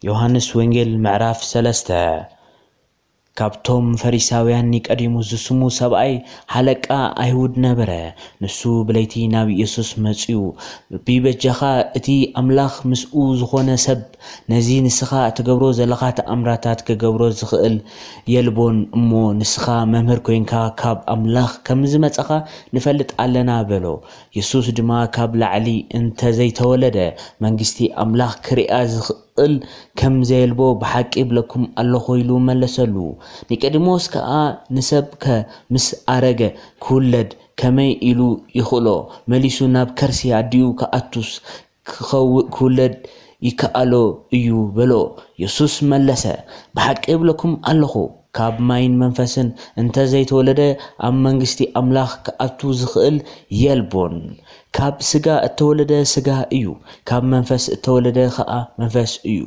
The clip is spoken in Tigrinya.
ዮሃንስ ወንጌል ምዕራፍ ሰለስተ። ካብቶም ፈሪሳውያን ኒቆዲሞስ ዝስሙ ሰብኣይ ሓለቃ ኣይሁድ ነበረ። ንሱ ብለይቲ ናብ ኢየሱስ መጺኡ፣ "ቢበጃኻ እቲ ኣምላኽ ምስኡ ዝኾነ ሰብ ነዚ ንስኻ እትገብሮ ዘለኻ ተኣምራታት ክገብሮ ዝኽእል የልቦን እሞ ንስኻ መምህር ኮይንካ ካብ ኣምላኽ ከም ዝመጻኻ ንፈልጥ ኣለና" በሎ። የሱስ ድማ፣ "ካብ ላዕሊ እንተ ዘይተወለደ መንግስቲ ኣምላኽ ክሪኣ ዝኽእል ከም ዘየልቦ ብሓቂ እብለኩም ኣለኹ" ኢሉ መለሰሉ። ኒቆዲሞስ ከኣ፣ "ንሰብከ ምስ ኣረገ ክውለድ ከመይ ኢሉ ይኽእሎ? መሊሱ ናብ ከርሲ ኣዲኡ ክኣቱስ ክኸው-፣ ክውለድ ይከኣሎ እዩ" በሎ። የሱስ መለሰ፣ "ብሓቂ እብለኩም ኣለኹ፣ ካብ ማይን መንፈስን እንተ ዘይተወለደ ኣብ መንግስቲ ኣምላኽ ክኣቱ ዝኽእል የልቦን። ካብ ስጋ እተወለደ ስጋ እዩ፣ ካብ መንፈስ እተወለደ ኸኣ መንፈስ እዩ።